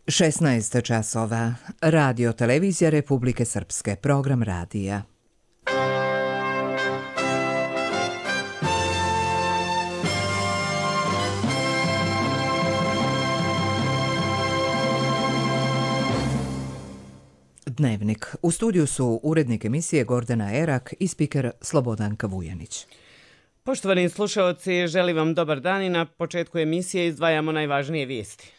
16 časova. Radio Televizija Republike Srpske. Program radija. Dnevnik. U studiju su urednik emisije Gordana Erak i spiker Slobodanka Vujanić. Poštovani slušalci, želim vam dobar dan i na početku emisije izdvajamo najvažnije vijesti.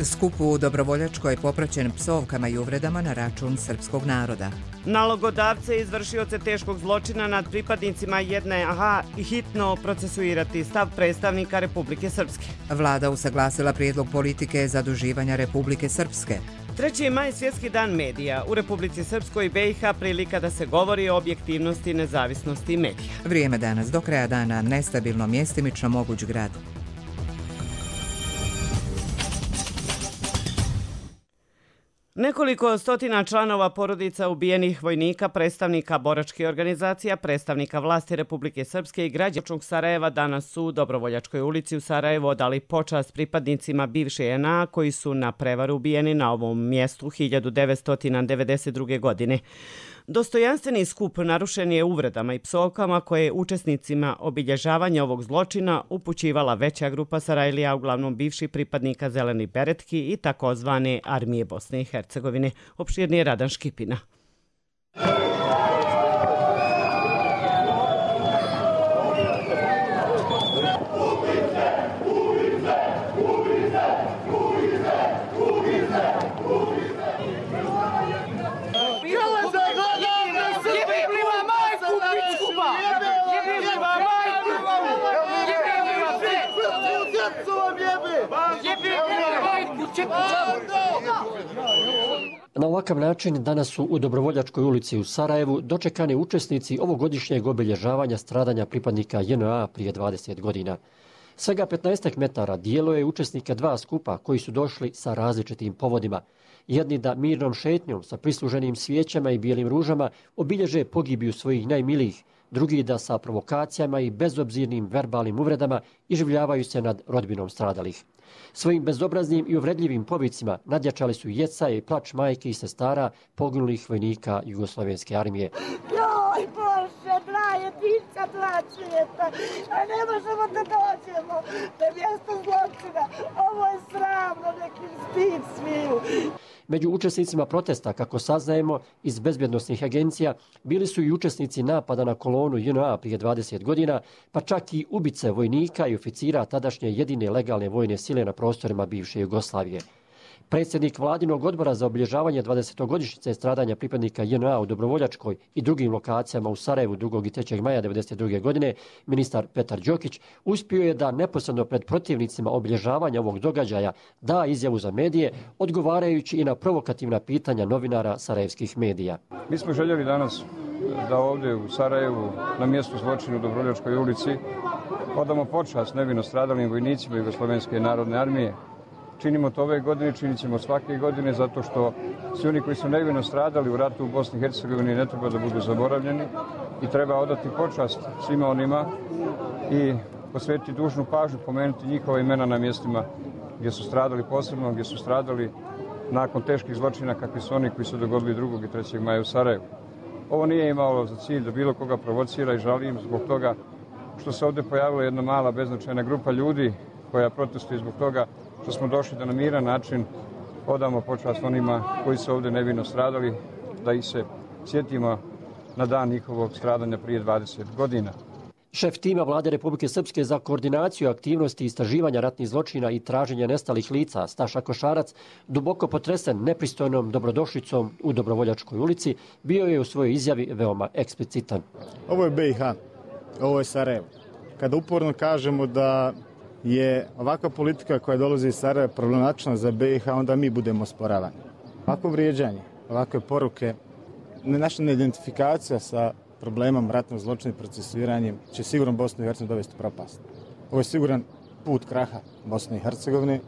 Skup u Dobrovoljačkoj je popraćen psovkama i uvredama na račun srpskog naroda. Nalogodavce i izvršioce teškog zločina nad pripadnicima JNA i hitno procesuirati, stav predstavnika Republike Srpske. Vlada usaglasila prijedlog politike zaduživanja Republike Srpske. 3. maj svjetski dan medija. U Republici Srpskoj i BiH prilika da se govori o objektivnosti i nezavisnosti medija. Vrijeme danas do kraja dana nestabilno, mjestimično moguć grad. Nekoliko stotina članova porodica ubijenih vojnika, predstavnika boračkih organizacija, predstavnika vlasti Republike Srpske i građana Sarajeva danas su u Dobrovoljačkoj ulici u Sarajevu odali počast pripadnicima bivše JNA koji su na prevaru ubijeni na ovom mjestu 1992. godine. Dostojanstveni skup narušen je uvredama i psovkama koje je učesnicima obilježavanja ovog zločina upućivala veća grupa Sarajlija, uglavnom bivših pripadnika Zelenih beretki i takozvane armije Bosne i Hercegovine. Opširnije Radan Škipina. Na ovakav način danas su u Dobrovoljačkoj ulici u Sarajevu dočekani učesnici ovogodišnjeg obilježavanja stradanja pripadnika JNA prije 20 godina. Svega 15 metara dijelo je učesnika dva skupa koji su došli sa različitim povodima. Jedni da mirnom šetnjom sa prisluženim svijećama i bijelim ružama obilježe pogibiju svojih najmilijih, drugi da sa provokacijama i bezobzirnim verbalnim uvredama iživljavaju se nad rodbinom stradalih. Svojim bezobraznim i uvredljivim povicima nadjačali su jecaje i plač majke i sestara poginulih vojnika Jugoslovenske armije. Joj Bože, braje, pića plaćujete, a ne možemo da dođemo na mjesto zločina. Ovo je sramno, nekim stid sviju. Među učesnicima protesta, kako saznajemo iz bezbjednosnih agencija, bili su i učesnici napada na kolonu JNA prije 20 godina, pa čak i ubice vojnika i oficira tadašnje jedine legalne vojne sile na prostorima bivše Jugoslavije. Predsjednik Vladinog odbora za obilježavanje 20-godišnjice stradanja pripadnika JNA u Dobrovoljačkoj i drugim lokacijama u Sarajevu 2. i 3. maja 1992. godine, ministar Petar Đokić, uspio je da neposredno pred protivnicima obilježavanja ovog događaja da izjavu za medije, odgovarajući i na provokativna pitanja novinara sarajevskih medija. Mi smo željeli danas da ovdje u Sarajevu, na mjestu zločina u Dobrovoljačkoj ulici, odamo počast nevino stradalim vojnicima Jugoslovenske narodne armije. Činimo to ove godine, činit ćemo svake godine, zato što svi oni koji su nevino stradali u ratu u Bosni i Hercegovini ne treba da budu zaboravljeni i treba odati počast svima onima i posvetiti dužnu pažnju, pomenuti njihova imena na mjestima gdje su stradali, posebno gdje su stradali nakon teških zločina kakvi su oni koji su dogodili 2. i 3. maja u Sarajevu. Ovo nije imalo za cilj da bilo koga provocira i žalim zbog toga što se ovdje pojavila jedna mala beznačajna grupa ljudi koja protestuje zbog toga što smo došli da na miran način odamo počast onima koji su ovdje nevino stradali, da ih se sjetimo na dan njihovog stradanja prije 20 godina. Šef tima Vlade Republike Srpske za koordinaciju aktivnosti istraživanja ratnih zločina i traženja nestalih lica, Staša Košarac, duboko potresen nepristojnom dobrodošlicom u Dobrovoljačkoj ulici, bio je u svojoj izjavi veoma eksplicitan. Ovo je BiH, ovo je Sarajevo. Kada uporno kažemo da je ovakva politika koja dolazi iz Sarajeva problematična za BiH, onda mi budemo osporavani. Ovako vrijeđanje, ovakve poruke, naša neidentifikacija sa problemom ratnog zločina i procesuiranjem će sigurno Bosnu i Hercegovinu dovesti u propast. Ovo je siguran put kraha Bosne i Hercegovine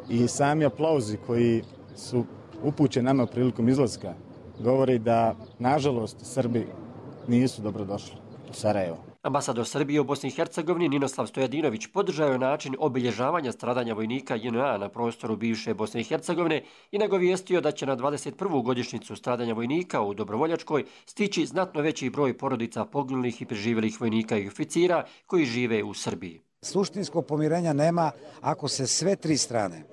i sami aplauzi koji su upućeni nama prilikom izlaska govori da, nažalost, Srbi nisu dobrodošli. Sarajevo. Ambasador Srbije u Bosni i Hercegovini Ninoslav Stojadinović podržao je način obilježavanja stradanja vojnika JNA na prostoru bivše Bosne i Hercegovine i nagovijestio da će na 21. godišnjicu stradanja vojnika u Dobrovoljačkoj stići znatno veći broj porodica poginulih i preživjelih vojnika i oficira koji žive u Srbiji. Suštinskog pomirenja nema ako se sve tri strane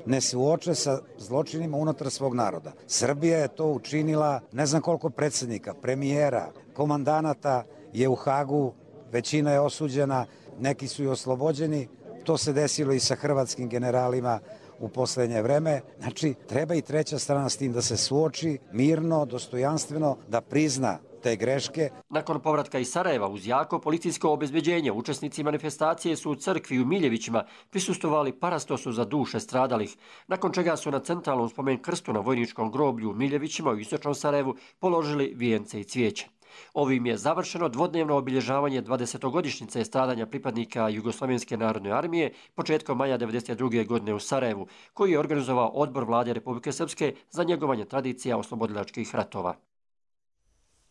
ne suoče sa zločinima unutar svog naroda. Srbija je to učinila, ne znam koliko predsjednika, premijera, komandanata je u Hagu, većina je osuđena, neki su i oslobođeni. To se desilo i sa hrvatskim generalima u posljednje vreme. Znači, treba i treća strana s tim da se suoči mirno, dostojanstveno, da prizna te greške. Nakon povratka iz Sarajeva uz jako policijsko obezbeđenje, učesnici manifestacije su u crkvi u Miljevićima prisustvovali parastosu za duše stradalih, nakon čega su na centralnom spomen krstu na vojničkom groblju u Miljevićima u istočnom Sarajevu položili vijence i cvijeće. Ovim je završeno dvodnevno obilježavanje 20-godišnjice stradanja pripadnika Jugoslovenske narodne armije početkom maja 1992. godine u Sarajevu, koji je organizovao Odbor Vlade Republike Srpske za njegovanje tradicija oslobodilačkih ratova.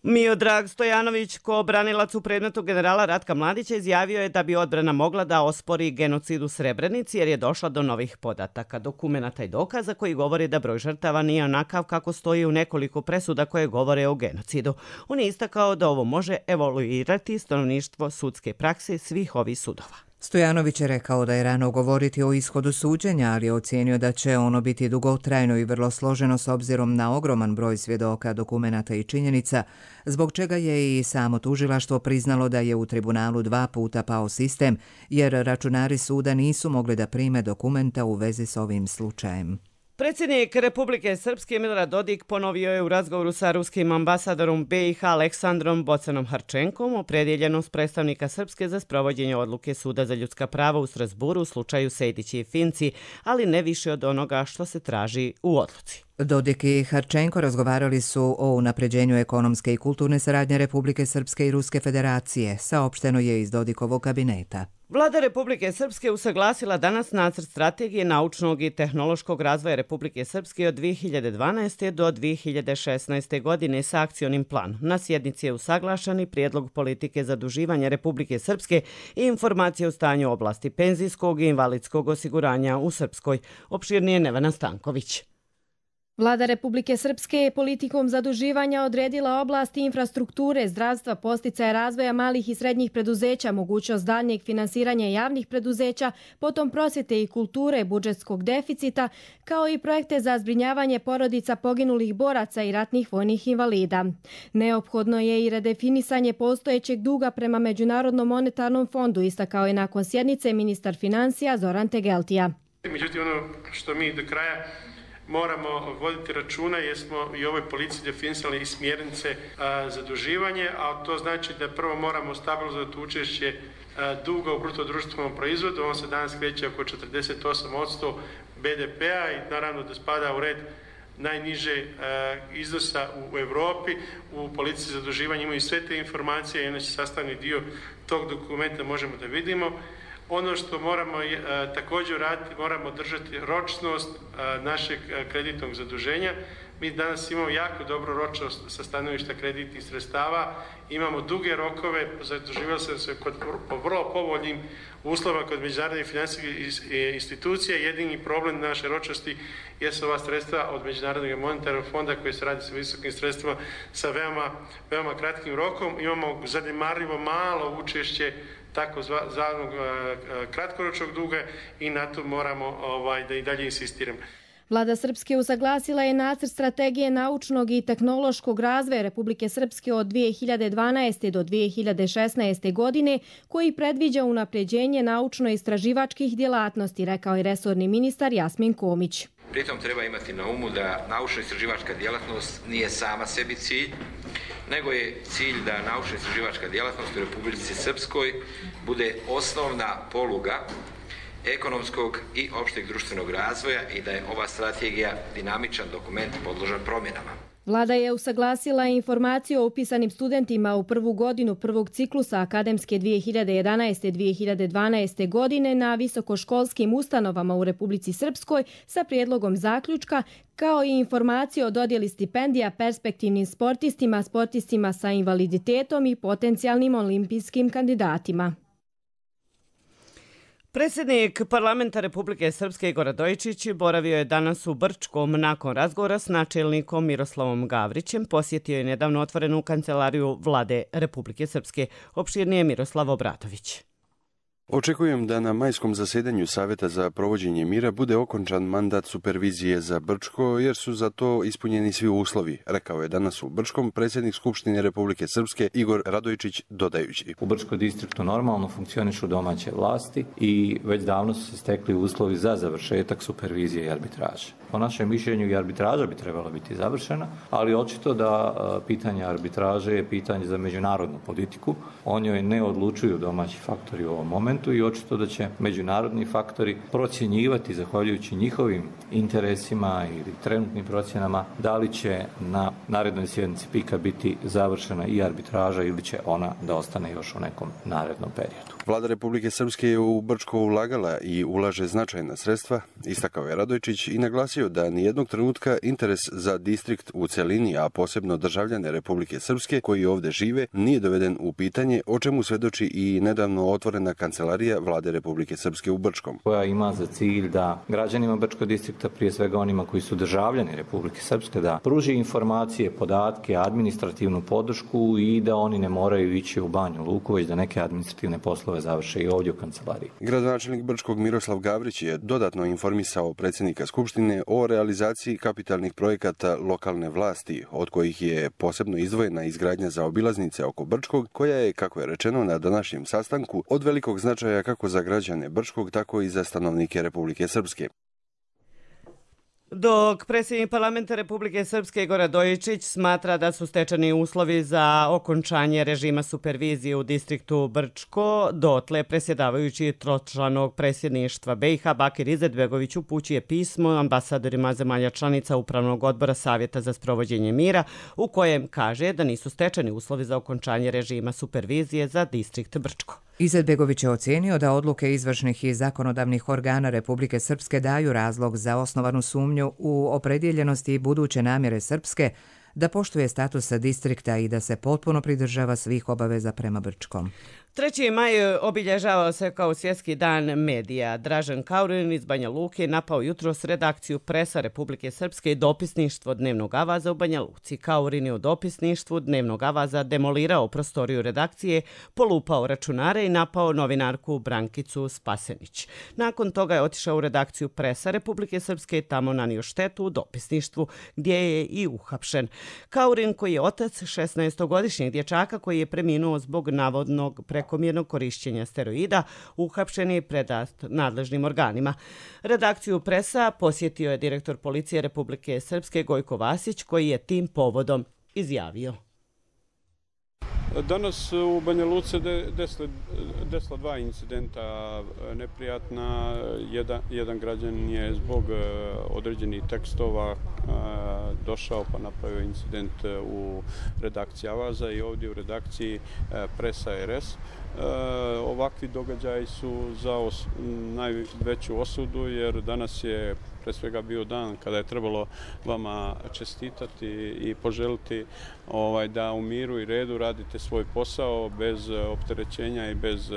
Miodrag Stojanović, ko branilac u predmetu generala Ratka Mladića, izjavio je da bi odbrana mogla da ospori genocid u Srebrenici jer je došla do novih podataka, dokumenata i dokaza koji govore da broj žrtava nije onakav kako stoji u nekoliko presuda koje govore o genocidu. On je istakao da ovo može evoluirati stanovništvo sudske prakse svih ovih sudova. Stojanović je rekao da je rano govoriti o ishodu suđenja, ali je ocijenio da će ono biti dugotrajno i vrlo složeno s obzirom na ogroman broj svjedoka, dokumenata i činjenica, zbog čega je i samo tužilaštvo priznalo da je u tribunalu 2 puta pao sistem, jer računari suda nisu mogli da prime dokumenta u vezi s ovim slučajem. Predsjednik Republike Srpske Milorad Dodik ponovio je u razgovoru sa ruskim ambasadorom BiH Aleksandrom Bocanom Harčenkom opredjeljenost predstavnika Srpske za sprovođenje odluke Suda za ljudska prava u Strasburu u slučaju Sejdić i Finci, ali ne više od onoga što se traži u odluci. Dodik i Harčenko razgovarali su o unapređenju ekonomske i kulturne saradnje Republike Srpske i Ruske federacije, saopšteno je iz Dodikovog kabineta. Vlada Republike Srpske usaglasila danas nacrt strategije naučnog i tehnološkog razvoja Republike Srpske od 2012. do 2016. godine sa akcionim planom. Na sjednici je usaglašen i prijedlog politike zaduživanja Republike Srpske i informacije o stanju u oblasti penzijskog i invalidskog osiguranja u Srpskoj. Opširnije Nevena Stanković. Vlada Republike Srpske je politikom zaduživanja odredila oblasti infrastrukture, zdravstva, podsticaja razvoja malih i srednjih preduzeća, mogućnost daljnjeg finansiranja javnih preduzeća, potom prosvjete i kulture, budžetskog deficita, kao i projekte za zbrinjavanje porodica poginulih boraca i ratnih vojnih invalida. Neophodno je i redefinisanje postojećeg duga prema Međunarodnom monetarnom fondu, istakao je nakon sjednice ministar financija Zoran Tegeltija. Međutim, ono što mi do kraja moramo voditi računa jer smo i ovoj policiji definisali i smjernice zaduživanje, a to znači da prvo moramo stabilizovati učešće duga u brutodruštvenom proizvodu. On se danas kreće oko 48% BDP-a i naravno da spada u red najniže iznosa u Europi. U policiji zaduživanja imaju sve te informacije i one su sastavni dio tog dokumenta, možemo da vidimo. Ono što moramo također raditi, moramo držati ročnost našeg kreditnog zaduženja. Mi danas imamo jako dobru ročnost sa stanovišta kreditnih sredstava, imamo duge rokove, zaduživali smo se po vrlo povoljnim uslovima kod međunarodnih financijskih institucija. Jedini problem naše ročnosti jesu ova sredstva od Međunarodnog monetarnog fonda koji se radi sa visokim sredstvima sa veoma kratkim rokom. Imamo zanemarljivo malo učešće takozvanog kratkoročnog duga i na to moramo da i dalje insistiramo. Vlada Srpske usaglasila je nacrt strategije naučnog i tehnološkog razvoja Republike Srpske od 2012. do 2016. godine, koji predviđa unapređenje naučno-istraživačkih djelatnosti, rekao je resorni ministar Jasmin Komić. Pritom treba imati na umu da naučno-istraživačka djelatnost nije sama sebi cilj, nego je cilj da naučno-istraživačka djelatnost u Republici Srpskoj bude osnovna poluga ekonomskog i opšteg društvenog razvoja i da je ova strategija dinamičan dokument podložan promjenama. Vlada je usaglasila informaciju o upisanim studentima u prvu godinu prvog ciklusa akademske 2011-2012. godine na visokoškolskim ustanovama u Republici Srpskoj sa prijedlogom zaključka, kao i informaciju o dodjeli stipendija perspektivnim sportistima, sportistima sa invaliditetom i potencijalnim olimpijskim kandidatima. Predsjednik Parlamenta Republike Srpske Igor Radojičić boravio je danas u Brčkom nakon razgovora s načelnikom Miroslavom Gavrićem. Posjetio je nedavno otvorenu kancelariju Vlade Republike Srpske. Opširnije Miroslav Obratović. Očekujem da na majskom zasjedanju Savjeta za provođenje mira bude okončan mandat supervizije za Brčko, jer su za to ispunjeni svi uslovi, rekao je danas u Brčkom predsjednik Skupštine Republike Srpske Igor Radojičić, dodajući. U Brčkom distriktu normalno funkcionišu domaće vlasti i već davno su se stekli uslovi za završetak supervizije i arbitraže. Po našem mišljenju i arbitraža bi trebala biti završena, ali očito da pitanje arbitraže je pitanje za međunarodnu politiku. O njoj ne odlučuju domaći faktori u ovom momentu i očito da će međunarodni faktori procjenjivati, zahvaljujući njihovim interesima ili trenutnim procjenama, da li će na narednoj sjednici PIK-a biti završena i arbitraža ili će ona da ostane još u nekom narednom periodu. Vlada Republike Srpske je u Brčko ulagala i ulaže značajna sredstva, istakao je Radojičić i naglasio da nijednog trenutka interes za distrikt u celini, a posebno državljane Republike Srpske koji ovdje žive, nije doveden u pitanje, o čemu svedoči i nedavno otvorena kancelarija Vlade Republike Srpske u Brčkom. Koja ima za cilj da građanima Brčkog distrikta, prije svega onima koji su državljani Republike Srpske, da pruži informacije, podatke, administrativnu podršku i da oni ne moraju ići u Banju Luku, već da neke administrativne poslove završe i ovdje u kancelariji. Gradonačelnik Brčkog Miroslav Gavrić je dodatno informisao predsjednika Skupštine o realizaciji kapitalnih projekata lokalne vlasti, od kojih je posebno izdvojena izgradnja zaobilaznice oko Brčkog, koja je, kako je rečeno na današnjem sastanku, od velikog značaja kako za građane Brčkog, tako i za stanovnike Republike Srpske. Dok predsjednik Parlamenta Republike Srpske Igor Radojičić smatra da su stečeni uslovi za okončanje režima supervizije u distriktu Brčko, dotle predsjedavajući tročlanog predsjedništva BiH Bakir Izetbegović upućuje pismo ambasadorima zemalja članica Upravnog odbora Savjeta za sprovođenje mira, u kojem kaže da nisu stečeni uslovi za okončanje režima supervizije za distrikt Brčko. Izetbegović je ocijenio da odluke izvršnih i zakonodavnih organa Republike Srpske daju razlog za osnovanu sumnju u opredjeljenosti buduće namjere Srpske da poštuje status distrikta i da se potpuno pridržava svih obaveza prema Brčkom. 3. maj obilježavao se kao svjetski dan medija. Dražen Kaurin iz Banja Luke napao jutros redakciju Presa Republike Srpske i dopisništvo Dnevnog avaza u Banja Luci. Kaurin je u dopisništvu Dnevnog avaza demolirao prostoriju redakcije, polupao računare i napao novinarku Brankicu Spasenić. Nakon toga je otišao u redakciju Presa Republike Srpske i tamo nanio štetu u dopisništvu, gdje je i uhapšen. Kaurin, koji je otac 16-godišnjeg dječaka koji je preminuo zbog navodnog prekomjernog korišćenja steroida, uhapšen je predat nadležnim organima. Redakciju Presa posjetio je direktor policije Republike Srpske Gojko Vasić, koji je tim povodom izjavio. Danas u Banja Luci desila dva incidenta neprijatna. Jedan građan je zbog određenih tekstova došao pa napravio incident u redakciji Avaza i ovdje u redakciji Presa RS. Ovakvi događaji su za najveću osudu, jer danas je pre svega bio dan kada je trebalo vama čestitati i poželiti da u miru i redu radite svoj posao bez opterećenja i bez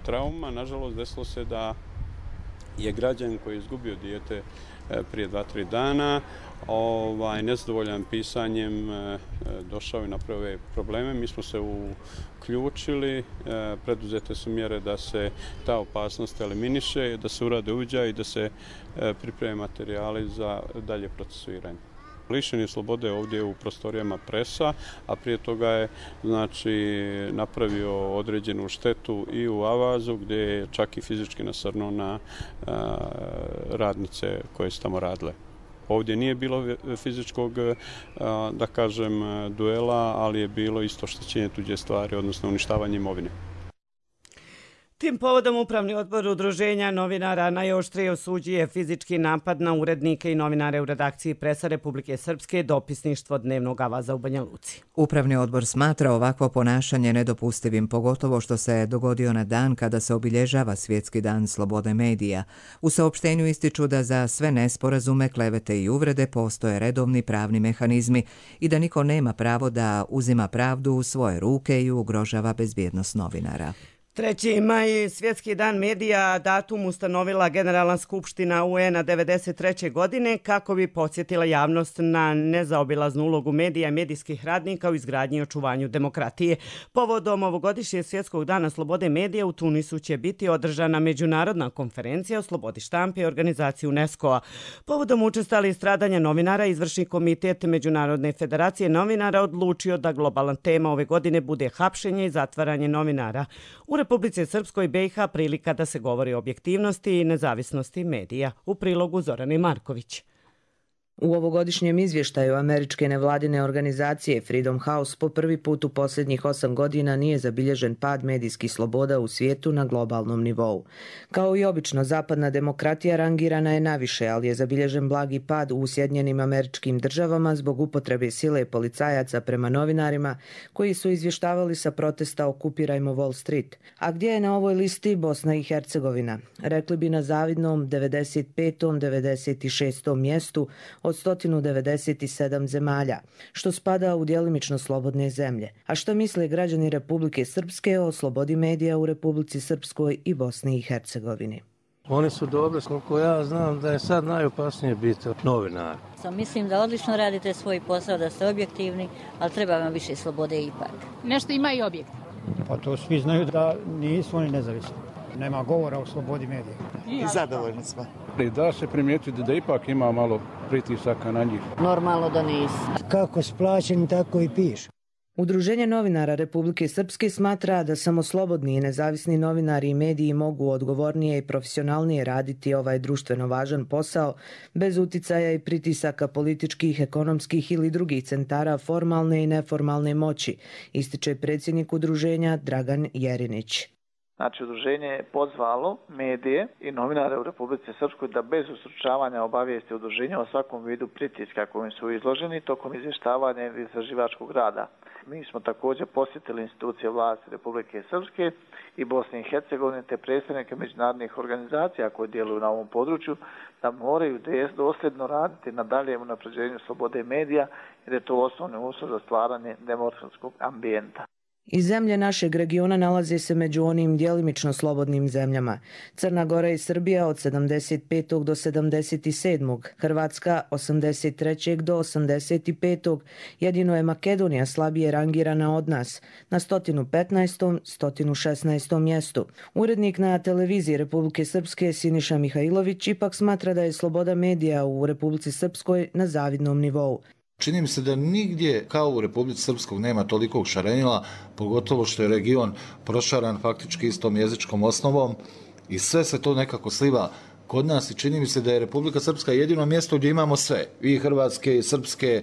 trauma. Nažalost, desilo se da je građan koji je izgubio dijete prije 2-3 dana nezadovoljan pisanjem došao i napravio probleme. Mi smo se uključili, preduzete su mjere da se ta opasnost eliminiše, da se urade uviđaji i da se pripreme materijali za dalje procesuiranje. Lišen je slobode ovdje u prostorijama Presa, a prije toga je napravio određenu štetu i u Avazu, gdje je čak i fizički nasrnuo na radnice koje su tamo radile. Ovdje nije bilo fizičkog, da kažem, duela, ali je bilo isto oštećenje tuđe stvari, odnosno uništavanje imovine. Tim povodom Upravni odbor Udruženja novinara najoštrije osuđuje fizički napad na urednike i novinare u redakciji Presa Republike Srpske, dopisništvo Dnevnog avaza u Banja Luci. Upravni odbor smatra ovakvo ponašanje nedopustivim, pogotovo što se dogodio na dan kada se obilježava Svjetski dan slobode medija. U saopštenju ističu da za sve nesporazume, klevete i uvrede postoje redovni pravni mehanizmi i da niko nema pravo da uzima pravdu u svoje ruke i ugrožava bezbjednost novinara. 3. maj, Svjetski dan medija, datum ustanovila Generalna skupština UN-a 1993. godine kako bi podsjetila javnost na nezaobilaznu ulogu medija i medijskih radnika u izgradnji i očuvanju demokratije. Povodom ovogodišnjeg Svjetskog dana slobode medija u Tunisu će biti održana međunarodna konferencija o slobodi štampe i organizaciji UNESCO-a. Povodom učestali stradanja novinara, izvršni komitet Međunarodne federacije novinara odlučio da globalna tema ove godine bude hapšenje i zatvaranje novinara. U Republici Srpskoj BiH prilika da se govori o objektivnosti i nezavisnosti medija. U prilogu Zorane Marković. U ovogodišnjem izvještaju američke nevladine organizacije Freedom House po prvi put u posljednjih 8 godina nije zabilježen pad medijskih sloboda u svijetu na globalnom nivou. Kao i obično, zapadna demokratija rangirana je naviše, ali je zabilježen blagi pad u Sjedinjenim Američkim Državama zbog upotrebe sile policajaca prema novinarima koji su izvještavali sa protesta Okupirajmo Wall Street. A gdje je na ovoj listi Bosna i Hercegovina? Rekli bi na zavidnom 95. 96. mjestu od 197 zemalja, što spada u djelimično slobodne zemlje. A što misle građani Republike Srpske o slobodi medija u Republici Srpskoj i Bosni i Hercegovini? Oni su dobri, koliko ja znam da je sad najopasnije biti novinar. Mislim da odlično radite svoj posao, da ste objektivni, ali treba vam više slobode ipak. Nešto ima i objektivno. Pa to svi znaju da nisu oni nezavisni. Nema govora o slobodi medija. I zadovoljni smo. Da se primijetiti da ipak ima malo pritisaka na njih. Normalno da nisu. Kako splaćeni, tako i piše. Udruženje novinara Republike Srpske smatra da samo slobodni i nezavisni novinari i mediji mogu odgovornije i profesionalnije raditi ovaj društveno važan posao bez uticaja i pritisaka političkih, ekonomskih ili drugih centara formalne i neformalne moći, ističe predsjednik udruženja Dragan Jerinić. Znači, udruženje je pozvalo medije i novinare u Republici Srpskoj da bez ustručavanja obavijesti udruženja o svakom vidu pritiska kojim su izloženi tokom izvještavanja ili istraživačkog rada. Mi smo također posjetili institucije vlasti Republike Srpske i Bosne i Hercegovine te predstavnike međunarodnih organizacija koje djeluju na ovom području da moraju dosljedno raditi na daljem unapređenju slobode medija jer je to osnovni uslov za stvaranje demokratskog ambijenta. I zemlje našeg regiona nalaze se među onim djelimično slobodnim zemljama. Crna Gora i Srbija od 75. do 77. Hrvatska 83. do 85. Jedino je Makedonija slabije rangirana od nas, na 115. 116. mjestu. Urednik na televiziji Republike Srpske Siniša Mihajlović ipak smatra da je sloboda medija u Republici Srpskoj na zavidnom nivou. Čini mi se da nigdje kao u Republici Srpskog nema tolikog šarenila, pogotovo što je region prošaran faktički istom jezičkom osnovom i sve se to nekako sliva kod nas i čini mi se da je Republika Srpska jedino mjesto gdje imamo sve, i hrvatske i srpske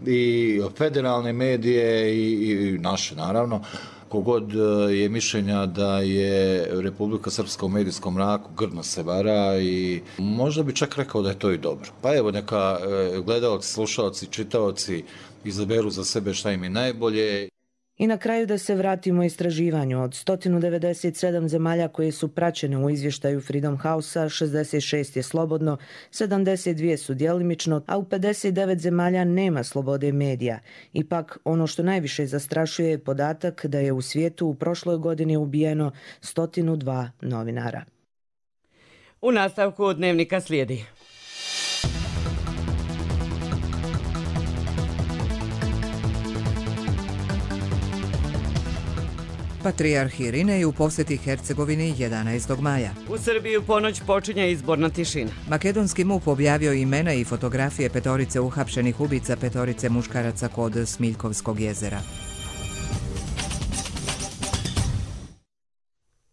i federalne medije i naše naravno. Kogod je mišljenja da je Republika Srpska u medijskom mraku, grdno se vara i možda bi čak rekao da je to i dobro. Pa evo neka gledalci, slušalci, čitaoci izaberu za sebe šta im je najbolje. I na kraju da se vratimo istraživanju. Od 197 zemalja koje su praćene u izvještaju Freedom House-a, 66 je slobodno, 72 su djelimično, a u 59 zemalja nema slobode medija. Ipak, ono što najviše zastrašuje je podatak da je u svijetu u prošloj godini ubijeno 102 novinara. U nastavku dnevnika slijedi. Patrijarh Irinej u posjeti Hercegovini 11. maja. U Srbiji u ponoć počinje izborna tišina. Makedonski MUP objavio imena i fotografije 5 uhapšenih ubica 5 muškaraca kod Smiljkovskog jezera.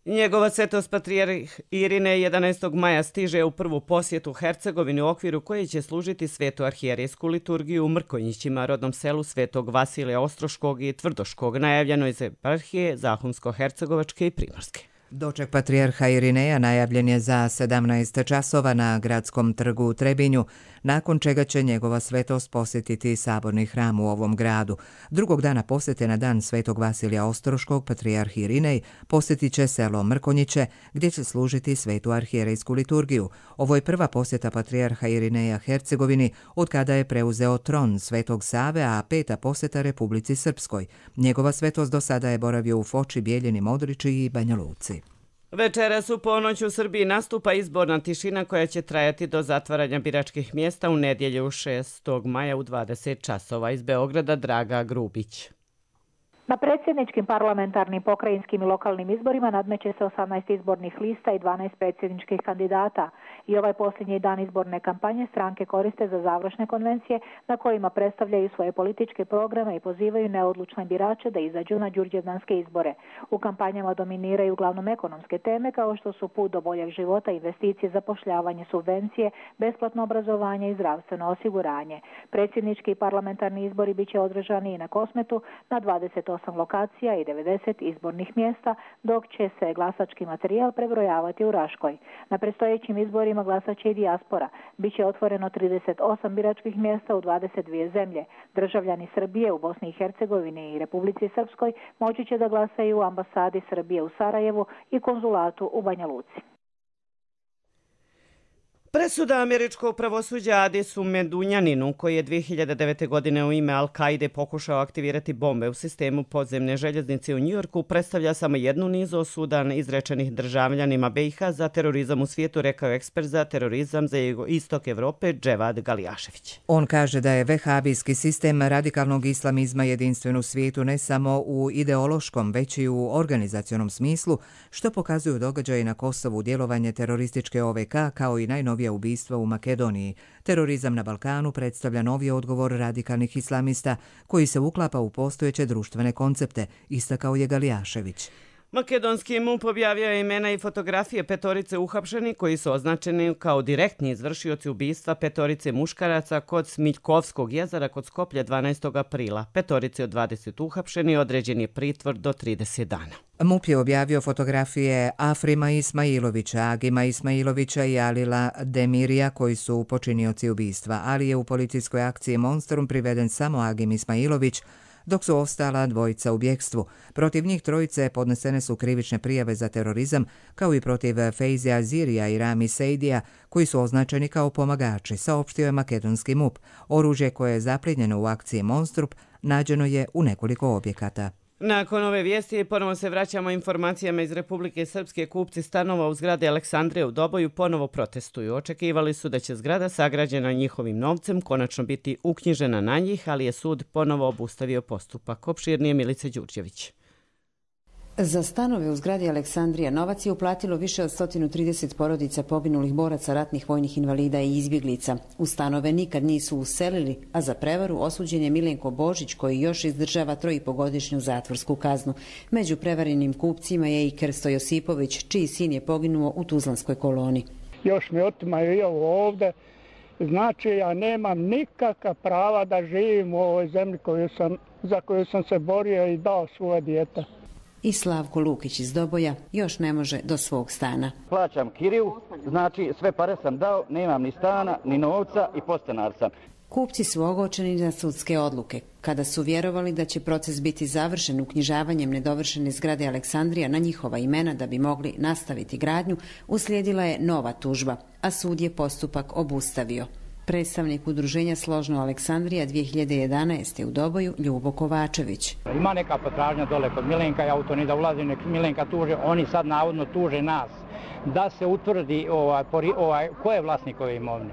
Njegova svetost patrijarh Irinej 11. maja stiže u prvu posjetu Hercegovini u okviru koje će služiti svetu arhijerejsku liturgiju u Mrkonjićima, rodnom selu Svetog Vasilija Ostroškog i Tvrdoškog, najavljeno iz eparhije Zahumsko-Hercegovačke i Primorske. Doček patrijarha Irineja najavljen je za 17 časova na gradskom trgu u Trebinju, nakon čega će njegova svetost posjetiti saborni hram u ovom gradu. Drugog dana posjete na dan svetog Vasilija Ostroškog, patrijarh Irinej posjetit će selo Mrkonjiće, gdje će služiti svetu arhijerejsku liturgiju. Ovo je prva posjeta patrijarha Irineja Hercegovini od kada je preuzeo tron Svetog Save, a 5. posjeta Republici Srpskoj. Njegova svetost do sada je boravio u Foči, Bijeljini, Modriči i Banja Luci. Večeras u ponoć u Srbiji nastupa izborna tišina koja će trajati do zatvaranja biračkih mjesta u nedjelju 6. maja u 20 časova. Iz Beograda Draga Grubić. Na predsjedničkim, parlamentarnim, pokrajinskim i lokalnim izborima nadmeće se 18 izbornih lista i 12 predsjedničkih kandidata. I ovaj posljednji dan izborne kampanje stranke koriste za završne konvencije na kojima predstavljaju svoje političke programe i pozivaju neodlučne birače da izađu na đurđevdanske izbore. U kampanjama dominiraju uglavnom ekonomske teme kao što su put do boljeg života, investicije, zapošljavanje, subvencije, besplatno obrazovanje i zdravstveno osiguranje. Predsjednički i parlamentarni izbori bit će održani i na Kosmetu na 28 lokacija i 90 izbornih mjesta, dok će se glasački materijal prebrojavati u Raškoj. Na predstojećim izborima glasat će i dijaspora. Biće otvoreno 38 biračkih mjesta u 22 zemlje. Državljani Srbije u Bosni i Hercegovini i Republici Srpskoj moći će da glasaju u ambasadi Srbije u Sarajevu i konzulatu u Banja Luci. Presuda američkog pravosuđa Adisu Medunjaninu, koji je 2009. godine u ime Al-Kaide pokušao aktivirati bombe u sistemu podzemne željeznice u Njujorku, predstavlja samo jednu nizu osuda izrečenih državljanima BiH za terorizam u svijetu, rekao je ekspert za terorizam za istok Evrope Dževad Galijašević. On kaže da je vehabijski sistem radikalnog islamizma jedinstven u svijetu ne samo u ideološkom, već i u organizacionom smislu, što pokazuju događaji na Kosovu, djelovanje terorističke OVK kao i najnovije ubistva u Makedoniji. Terorizam na Balkanu predstavlja novi odgovor radikalnih islamista koji se uklapa u postojeće društvene koncepte, istakao je Galijašević. Makedonski MUP objavio je imena i fotografije 5 uhapšenih koji su označeni kao direktni izvršioci ubistva 5 muškaraca kod Smiljkovskog jezera kod Skoplja 12. aprila. 5 od 20 uhapšeni određen je pritvor do 30 dana. MUP je objavio fotografije Afrima Ismailovića, Agima Ismailovića i Alila Demirija koji su počinioci ubistva, ali je u policijskoj akciji Monstrum priveden samo Agim Ismailović, dok su ostala dvojica u bjekstvu. Protiv njih trojice podnesene su krivične prijave za terorizam, kao i protiv Fejzija Zirija i Rami Sejdija, koji su označeni kao pomagači, saopštio je makedonski MUP. Oružje koje je zaplijenjeno u akciji Monstrup nađeno je u nekoliko objekata. Nakon ove vijesti ponovo se vraćamo informacijama iz Republike Srpske. Kupci stanova u zgradi Aleksandrije u Doboju ponovo protestuju. Očekivali su da će zgrada sagrađena njihovim novcem konačno biti uknjižena na njih, ali je sud ponovo obustavio postupak. Opširnije Milica Đurđević. Za stanove u zgradi Aleksandrija novac je uplatilo više od 130 porodica poginulih boraca, ratnih vojnih invalida i izbjeglica. U stanove nikad nisu uselili, a za prevaru osuđen je Milenko Božić koji još izdržava 3,5-godišnju zatvorsku kaznu. Među prevarenim kupcima je i Krsto Josipović, čiji sin je poginuo u Tuzlanskoj koloni. Još mi otimaju i ovo ovde. Znači, ja nemam nikakva prava da živim u ovoj zemlji za koju sam se borio i dao svoje dijete. I Slavko Lukić iz Doboja još ne može do svog stana. Plaćam kiriju, znači sve pare sam dao, nemam ni stana, ni novca i podstanar sam. Kupci su ogorčeni na sudske odluke. Kada su vjerovali da će proces biti završen uknjižavanjem nedovršene zgrade Aleksandrija na njihova imena da bi mogli nastaviti gradnju, uslijedila je nova tužba, a sud je postupak obustavio. Predstavnik udruženja Složno Aleksandrija 2011. u Doboju Ljubo Kovačević. Ima neka potražnja dole kod Milenka, ja u to ni da ulazim, nek Milenka tuže, oni sad navodno tuže nas. Da se utvrdi ko je vlasnik ove imovine.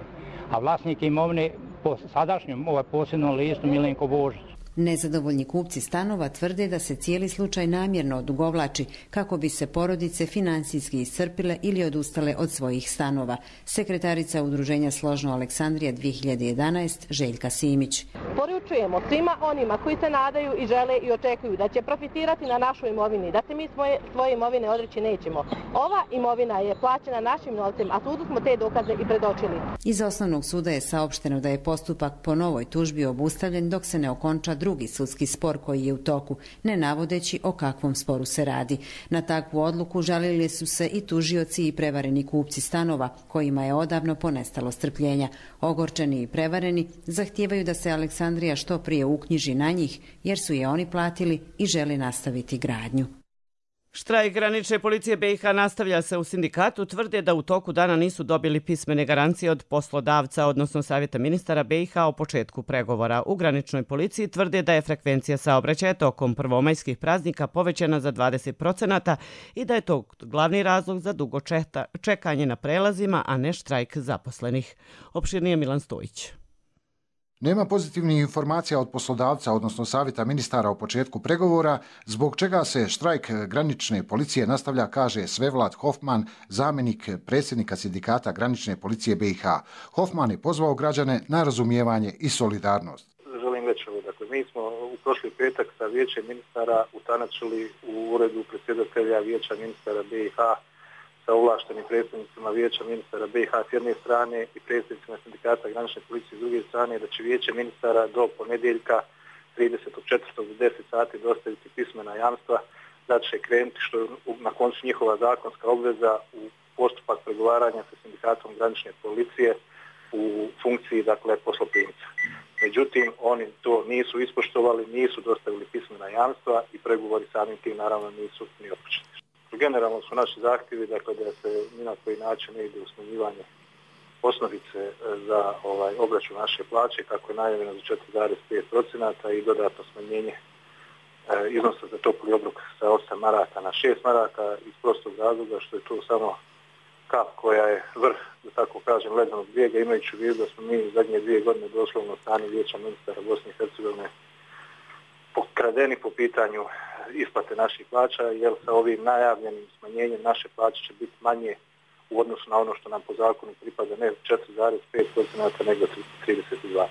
A vlasnik imovine po sadašnjem posebnom listu Milenko Božić. Nezadovoljni kupci stanova tvrde da se cijeli slučaj namjerno odugovlači kako bi se porodice finansijski iscrpile ili odustale od svojih stanova. Sekretarica udruženja Složno Aleksandrija 2011 Željka Simić. Poručujemo svima onima koji se nadaju i žele i očekuju da će profitirati na našoj imovini, da se mi svoje imovine odreći nećemo. Ova imovina je plaćena našim novcem, a sudu smo te dokaze i predočili. Iz osnovnog suda je saopšteno da je postupak po novoj tužbi obustavljen dok se ne okonča drugi sudski spor koji je u toku, ne navodeći o kakvom sporu se radi. Na takvu odluku žalili su se i tužioci i prevareni kupci stanova, kojima je odavno ponestalo strpljenja. Ogorčeni i prevareni zahtijevaju da se Aleksandrija što prije uknjiži na njih, jer su je oni platili i žele nastaviti gradnju. Štrajk granične policije BiH nastavlja se. U sindikatu tvrde da u toku dana nisu dobili pismene garancije od poslodavca, odnosno Savjeta ministara BiH o početku pregovora. U graničnoj policiji tvrde da je frekvencija saobraćaja tokom prvomajskih praznika povećana za 20% i da je to glavni razlog za dugo čekanje na prelazima, a ne štrajk zaposlenih. Opširnije Milan Stojić. Nema pozitivnih informacija od poslodavca, odnosno Savjeta ministara o početku pregovora, zbog čega se štrajk granične policije nastavlja, kaže Svevlad Hofman, zamjenik predsjednika sindikata granične policije BiH. Hofman je pozvao građane na razumijevanje i solidarnost. Želim reći ovo, dakle, mi smo u prošli petak sa vijećem ministara utanačili u uredu predsjedatelja vijeća ministara BiH sa ovlaštenim predstavnicima vijeća ministara BiH s jedne strane i predstavnicima sindikata granične policije s druge strane, da će vijeće ministara do ponedjeljka 30.4. do 10 sati dostaviti pismena jamstva da će krenuti, što je na koncu njihova zakonska obveza, u postupak pregovaranja sa sindikatom granične policije u funkciji, dakle, posloprimca. Međutim, oni to nisu ispoštovali, nisu dostavili pismena jamstva i pregovori samim tim naravno nisu ni otpočeti. Generalno su naši zahtjevi, dakle, da se ni na koji način ne ide u smanjivanje osnovice za obračun naše plaće, kako je najavljeno za 4,5% i dodatno smanjenje iznosa za topli obrok sa 8 maraka na 6 maraka, iz prostog razloga što je to samo kap koja je vrh, da tako kažem, ledenog brijega, imajući u vidu da smo mi u zadnje 2 godine doslovno strani vijeća ministara Bosne i Hercegovine pokradeni po pitanju isplate naših plaća, jer sa ovim najavljenim smanjenjem naše plaće će biti manje u odnosu na ono što nam po zakonu pripada, ne 4,5%, nego 32%.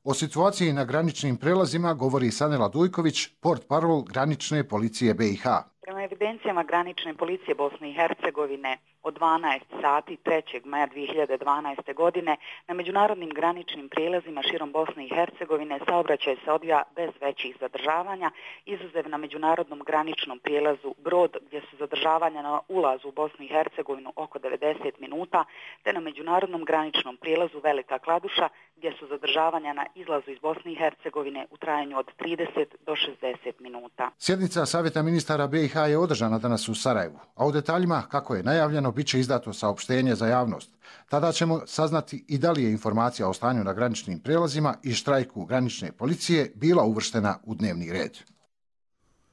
O situaciji na graničnim prelazima govori Sanela Dujković, portparol granične policije BiH. Prema evidencijama granične policije Bosne i Hercegovine od 12 sati 3. maja 2012. godine na međunarodnim graničnim prijelazima širom Bosne i Hercegovine saobraćaj se odvija bez većih zadržavanja, izuzev na međunarodnom graničnom prijelazu Brod, gdje su zadržavanja na ulazu u Bosnu i Hercegovinu oko 90 minuta, te na međunarodnom graničnom prijelazu Velika Kladuša, gdje su zadržavanja na izlazu iz Bosne i Hercegovine u trajanju od 30 do 60 minuta. Sjednica Savjeta ministara BiH je održana danas u Sarajevu, a u detaljima, kako je najavljeno, bit će izdato saopštenje za javnost. Tada ćemo saznati i da li je informacija o stanju na graničnim prijelazima i štrajku granične policije bila uvrštena u dnevni red.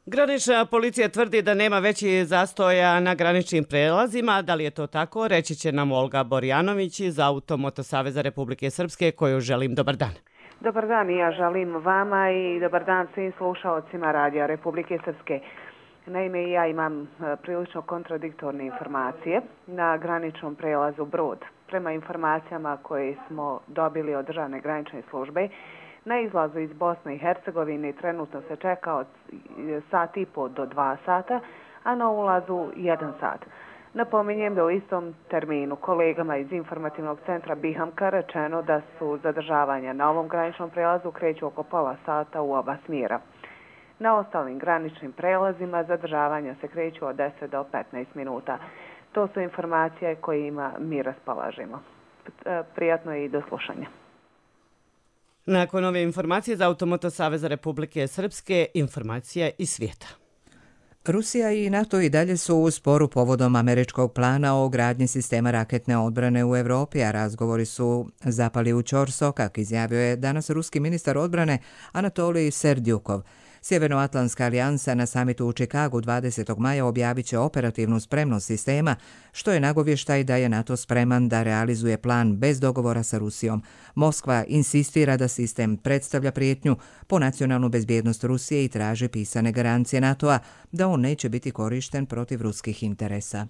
Granična policija tvrdi da nema većih zastoja na graničnim prelazima. Da li je to tako, reći će nam Olga Borjanović iz Automoto Saveza Republike Srpske, koju želim dobar dan. Dobar dan, i ja želim vama i dobar dan svim slušalcima Radija Republike Srpske. Naime, ja imam prilično kontradiktorne informacije na graničnom prelazu Brod. Prema informacijama koje smo dobili od državne granične službe, na izlazu iz Bosne i Hercegovine trenutno se čeka od 1,5 do 2 sata, a na ulazu 1 sat. Napominjem da u istom terminu kolegama iz informativnog centra Bihamka rečeno da su zadržavanja na ovom graničnom prelazu kreću oko pola sata u oba smjera. Na ostalim graničnim prelazima zadržavanja se kreću od 10 do 15 minuta. To su informacije kojima mi raspolažemo. Prijatno i do slušanja. Nakon ove informacije za Automoto Saveza Republike Srpske, informacija iz svijeta. Rusija i NATO i dalje su u sporu povodom američkog plana o gradnji sistema raketne odbrane u Europi, a razgovori su zapali u ćor sokak, izjavio je danas ruski ministar odbrane Anatolij Serdyukov. Sjevernoatlantska alijansa na samitu u Čikagu 20. maja objavit će operativnu spremnost sistema, što je nagovještaj da je NATO spreman da realizuje plan bez dogovora sa Rusijom. Moskva insistira da sistem predstavlja prijetnju po nacionalnu bezbjednost Rusije i traži pisane garancije NATO-a da on neće biti korišten protiv ruskih interesa.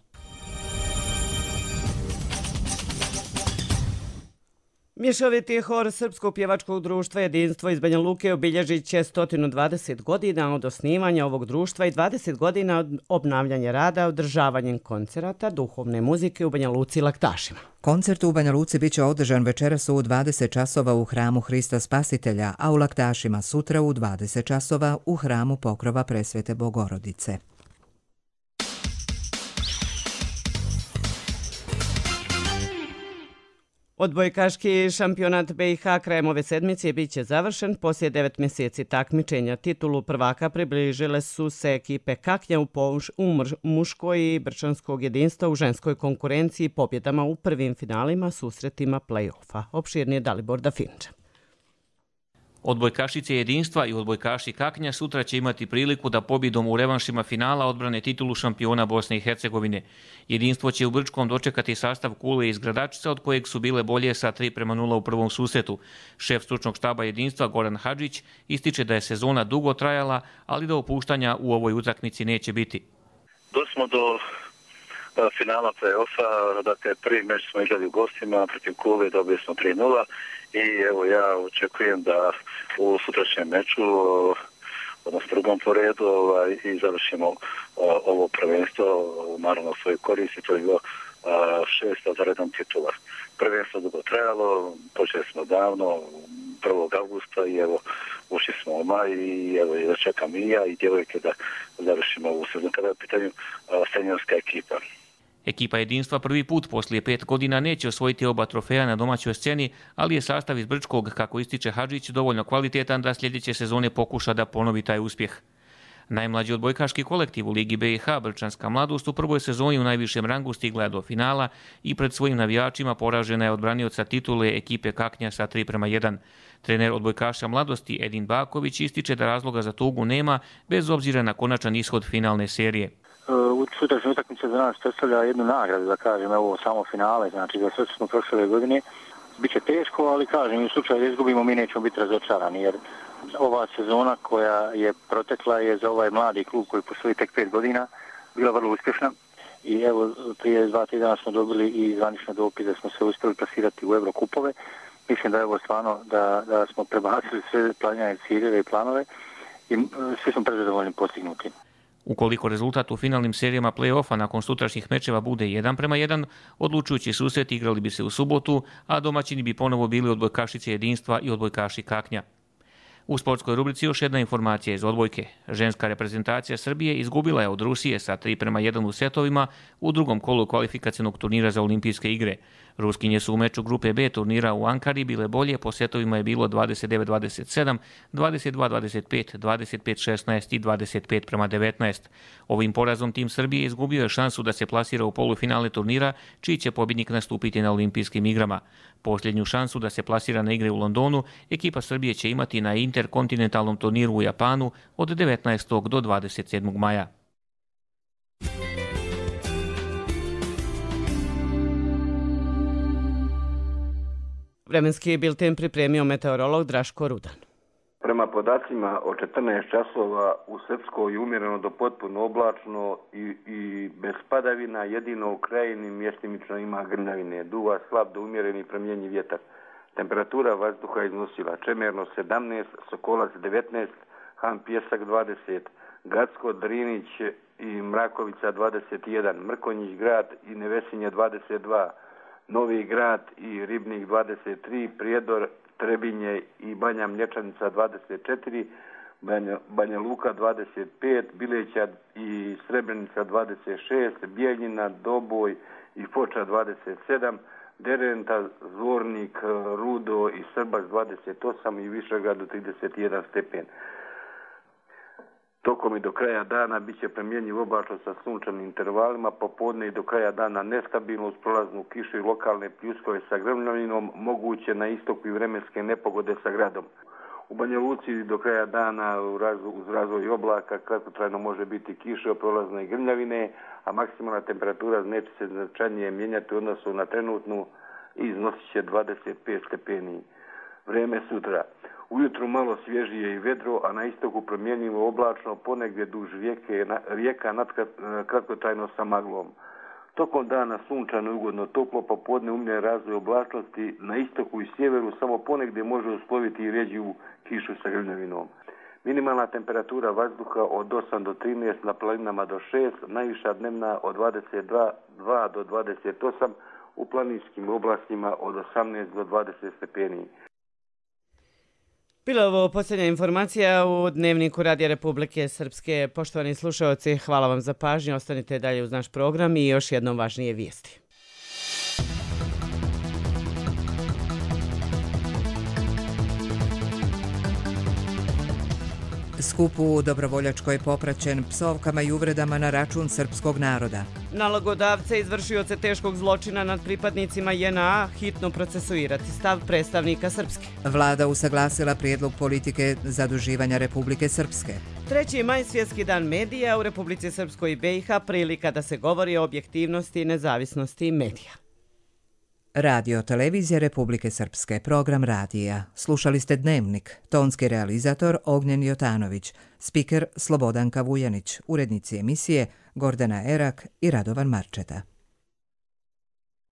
Mješoviti hor Srpskog pjevačkog društva Jedinstvo iz Banja Luke obilježit će 120 godina od osnivanja ovog društva i 20 godina od obnavljanja rada održavanjem koncerata duhovne muzike u Banja Luci i Laktašima. Koncert u Banja Luci biće održan večeras u 20 časova u hramu Hrista Spasitelja, a u Laktašima sutra u 20 časova u hramu Pokrova Presvete Bogorodice. Odbojkaški šampionat BiH krajem ove sedmice bit će završen. Poslije 9 mjeseci takmičenja titulu prvaka približile su se ekipe Kaknja u muškoj i Brčanskog jedinstva u ženskoj konkurenciji pobjedama u prvim finalima susretima play-offa. Opširnije Dalibor Dafinča. Odbojkašice Jedinstva i odbojkaši Kaknja sutra će imati priliku da pobjedom u revanšima finala odbrane titulu šampiona Bosne i Hercegovine. Jedinstvo će u Brčkom dočekati sastav Kule iz Gradačica, od kojeg su bile bolje sa 3:0 u prvom susretu. Šef stručnog štaba Jedinstva Goran Hadžić ističe da je sezona dugo trajala, ali da opuštanja u ovoj utakmici neće biti. Došli smo do finala play-offa, dakle prvi meč smo igrali u gostima, protiv Kule dobili smo 3:0 i evo ja očekujem da u sutrašnjem meču, odnosno drugom po redu, i završimo ovo prvenstvo, naravno svoju korist, i to je bilo 6. za redom titula. Prvenstvo dugo trajalo, počeli smo davno, 1. augusta i evo ušli smo u maj i evo da čekam i ja i djevojke da završimo ovu sezonu kada je u pitanju seniorska ekipa. Ekipa Jedinstva prvi put poslije 5 godina neće osvojiti oba trofeja na domaćoj sceni, ali je sastav iz Brčkog, kako ističe Hadžić, dovoljno kvalitetan da sljedeće sezone pokuša da ponovi taj uspjeh. Najmlađi odbojkaški kolektiv u Ligi BiH, Brčanska mladost, u prvoj sezoni u najvišem rangu stigla je do finala i pred svojim navijačima poražena je od branioca titule ekipe Kaknja sa 3:1. Trener odbojkaša mladosti Edin Baković ističe da razloga za tugu nema, bez obzira na konačan ishod finalne serije. Sutrašnja utakmica za nas predstavlja jednu nagradu, da kažem, ovo samo finale, znači za sve smo prošle godine. Biće teško, ali kažem, u slučaju da izgubimo mi nećemo biti razočarani, jer ova sezona koja je protekla je za ovaj mladi klub koji postoji tek 5 godina bila vrlo uspješna. I evo, prije 2 tjedana smo dobili i zvanično dopis da smo se uspjeli plasirati u Eurokupove. Mislim da je ovo stvarno da smo prebacili sve planirane ciljeve i planove i svi smo prezadovoljni postignuti. Ukoliko rezultat u finalnim serijama play-offa nakon sutrašnjih mečeva bude 1:1, odlučujući susret igrali bi se u subotu, a domaćini bi ponovo bili odbojkašice Jedinstva i odbojkaši Kaknja. U sportskoj rubrici još jedna informacija iz odbojke. Ženska reprezentacija Srbije izgubila je od Rusije sa 3:1 u setovima u drugom kolu kvalifikacionog turnira za olimpijske igre. Ruskinje su u meču grupe B turnira u Ankari bile bolje, po setovima je bilo 29-27, 22-25, 25-16 i 25:19. Ovim porazom tim Srbije izgubio je šansu da se plasira u polufinale turnira, čiji će pobjednik nastupiti na olimpijskim igrama. Posljednju šansu da se plasira na igre u Londonu ekipa Srbije će imati na interkontinentalnom turniru u Japanu od 19. do 27. maja. Vremenski bilten pripremio meteorolog Draško Rudan. Prema podacima o 14 časova u Srpskoj umjereno do potpuno oblačno i bez padavina, jedino u krajini mjestimično ima grmljavine. Duva slab do umjereni promjenjiv vjetar. Temperatura vazduha iznosila Čemerno 17, Sokolac 19, Han Pjesak 20, Gacko, Drinić i Mrakovica 21, Mrkonjić grad i Nevesinje 22, Novi grad i Ribnik 23, Prijedor, Trebinje i Banja Mlječanica 24, Banja Luka 25, Bileća i Srebrenica 26, Bijeljina, Doboj i Foča 27, Derenta, Zvornik, Rudo i Srbac 28 i Višegrad 31 stepen. Tokom i do kraja dana bit će promjenjiv oblačno sa sunčanim intervalima, popodne i do kraja dana nestabilno uz prolaznu kišu i lokalne pljuskove sa grmljavinom, moguće na istoku i vremenske nepogode sa gradom. U Banja Luci do kraja dana uz razvoj oblaka kratkotrajno može biti kiša, prolazne i grmljavine, a maksimalna temperatura neće se značajnije mijenjati u odnosu na trenutnu i iznosit će 25 stepeni. Vrijeme sutra. Ujutru malo svježije i vedro, a na istoku promjenjivo oblačno, ponegdje duž rijeka kratkotrajno sa maglom. Tokom dana sunčano i ugodno toplo, pa podne umljen razvoj oblačnosti na istoku i sjeveru, samo ponegdje može usloviti i rjeđu kišu sa grmljavinom. Minimalna temperatura vazduha od 8 do 13, na planinama do 6, najviša dnevna od 22 do 28, u planinskim oblastima od 18 do 20 stepeni. Bila je ovo posljednja informacija u Dnevniku Radija Republike Srpske. Poštovani slušalci, hvala vam za pažnju. Ostanite dalje uz naš program i još jednom važnije vijesti. Skup u Dobrovoljačkoj popraćen psovkama i uvredama na račun srpskog naroda. Nalogodavce izvršioce teškog zločina nad pripadnicima JNA hitno procesuirati, stav predstavnika Srpske. Vlada usaglasila prijedlog politike zaduživanja Republike Srpske. 3. maj svjetski dan medija u Republici Srpskoj i BiH, prilika da se govori o objektivnosti i nezavisnosti medija. Radio Televizija Republike Srpske, program radija. Slušali ste Dnevnik, tonski realizator Ognjen Jotanović, spiker Slobodanka Vujanić, urednici emisije Gordana Erak i Radovan Marčeta.